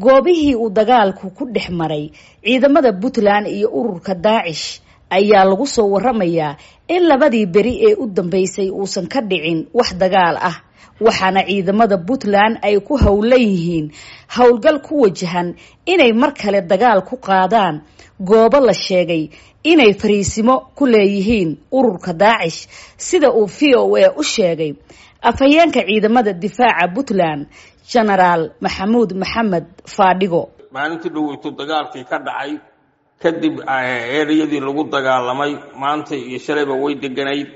Goobihii uu dagaalku ku dhex maray ciidamada Puntland iyo ururka Daacish ayaa lagu soo waramayaa in labadii beri ee u dambeysay uusan ka dhicin wax dagaal ah, waxaana ciidamada Puntland ay ku howlan yihiin howlgal ku wajahan inay mar kale dagaal ku qaadaan goobo la sheegay inay fariisimo ku leeyihiin ururka Daacish, sida uu VOA u sheegay afhayeenka ciidamada difaaca Puntland, Genaraal Maxamuud Maxamed Faadhigo. Maalintii dhoweyto dagaalkii ka dhacay kadib, ereyadii lagu dagaalamay maanta iyo shalayba way deganayd,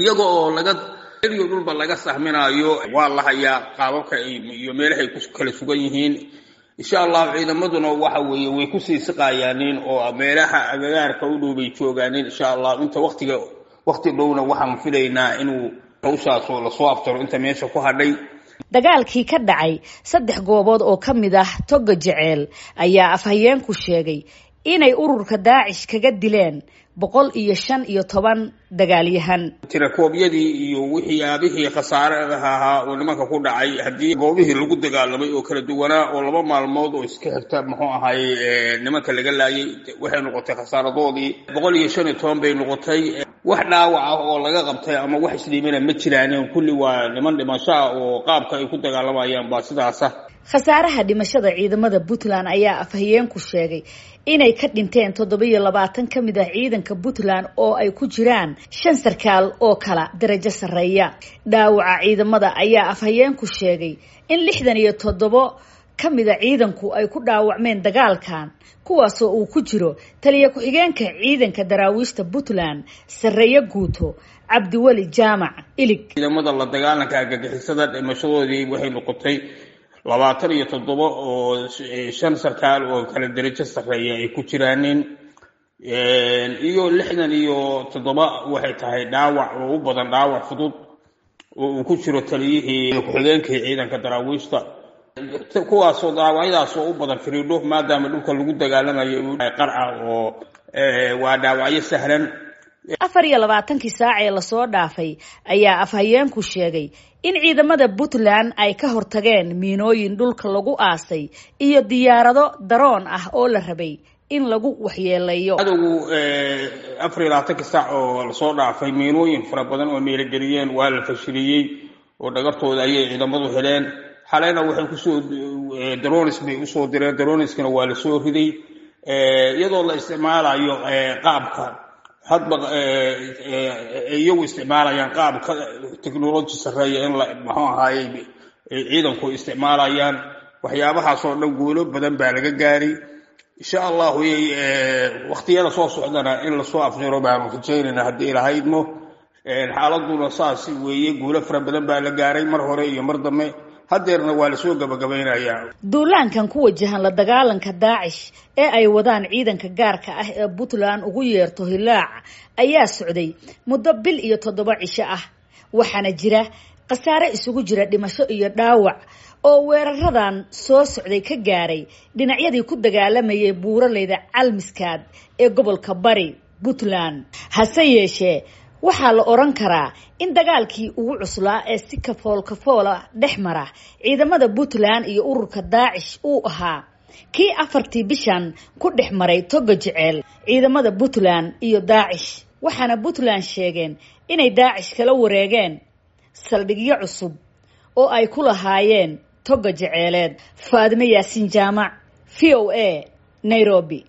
iyaga oo laga eriyo dhulba laga sahminaayo. Waa la hayaa qaababka iyo meelahay ku kala sugan yihiin. Insha Allahu ciidamaduna waxa weeye way kusii siqayaaniin oo meelaha agagaarka u dhow bay joogaaniin. Insha Allah inta waqtiga waqti dhowna waxaan filaynaa inuu hawshaasoo lasoo aftaro inta meesha ku hadhay. Dagaalkii ka dhacay 3 goobood oo ka mid ah Toga Jeceel ayaa afhayeenku sheegay inay ururka Daacish kaga dileen 115 dagaalyahan. Tirakoobyadii iyo wixiyaabihii khasaaraha ahaa oo nimanka ku dhacay haddii goobihii lagu dagaalamay oo kala duwanaa oo 2 maalmood oo iska xigta, muxuu ahay, nimanka laga laayay, waxay noqotay khasaaradoodii 115 bay noqotay. Wax dhaawac ah oo laga qabtay ama wax isdhiimana ma jiraan, kulli waa niman dhimasho ah oo qaabka ay ku dagaalamayaan baa sidaasa. Khasaaraha dhimashada ciidamada Puntland ayaa afhayeenku sheegay inay ka dhinteen 27 ka mid ah ciidanka Puntland oo ay ku jiraan 5 sarkaal oo kala darajo sarreeya. Dhaawaca ciidamada ayaa afhayeenku sheegay in 67 ka mid a ciidanku ay ku dhaawacmeen dagaalkan, kuwaasoo uu ku jiro taliya ku-xigeenka ciidanka daraawiishta Puntland, sarreeye guuto Cabdiweli Jaamac Ilig. Ciidamada la dagaalanka argagixisada dhimashadoodii waxay noqotay 27 oo 5 sarkaal oo kala darajo sarreeya ay ku jiraanin, iyo 67 waxay tahay dhaawac oo u badan dhaawac fudud oo uu ku jiro taliyihii ku-xigeenkii ciidanka daraawiishta, kuwaasoo dhaawacyadaasoo u badan firiidho, maadaama dhulka lagu dagaalamayo qarca oo waa dhaawacyo sahlan. 24kii saac ee lasoo dhaafay ayaa afhayeenku sheegay in ciidamada Puntland ay ka hortageen miinooyin dhulka lagu aasay iyo diyaarado daroon ah oo la rabay in lagu waxyeeleeyo. Cadowgu 24kii saac oo lasoo dhaafay miinooyin fara badan oo meelogeliyeen waa la fashiliyey oo dhagartooda ayay ciidamadu heleen. Xaleyna waxay kusoo dronis bay usoo direen, droniskana waa lasoo riday iyadoo la isticmaalayo qaabka hadba iyagu isticmaalayaan, qaabka technology sarreeya in la muxuu ahaayey ciidanku isticmaalayaan. Waxyaabahaasoo dhan guulo badan baa laga gaaray. Insha Allahu waqtiyada soo socdana in lasoo afjaro baanu rajaynayna haddii ilahaydmo. Xaaladuna saas weeye, guulo fara badan baa la gaaray mar hore iyo mar dambe, haddeerna waa lasoo gabagabaynayaa. Duulaankan ku wajahan la dagaalanka Daacish ee ay wadaan ciidanka gaarka ah ee Puntland ugu yeerto Hilaac ayaa socday muddo bil iyo 7 cisho ah, waxaana jira khasaare isugu jira dhimasho iyo dhaawac oo weeraradan soo socday ka gaaray dhinacyadii ku dagaalamayay buuraleyda Calmiskaad ee gobolka Bari Puntland. Hase yeeshee waxaa la oran karaa in dagaalkii ugu cuslaa ee si kafool kafoola dhex mara ciidamada Puntland iyo ururka Daacish uu ahaa kii 4tii bishan ku dhex maray Toga Jeceel ciidamada Puntland iyo Daacish, waxaana Puntland sheegeen inay Daacish kala wareegeen saldhigyo cusub oo ay ku lahaayeen Toga Jeceeleed. Faadime Yaasiin Jaamac, VOA, Nairobi.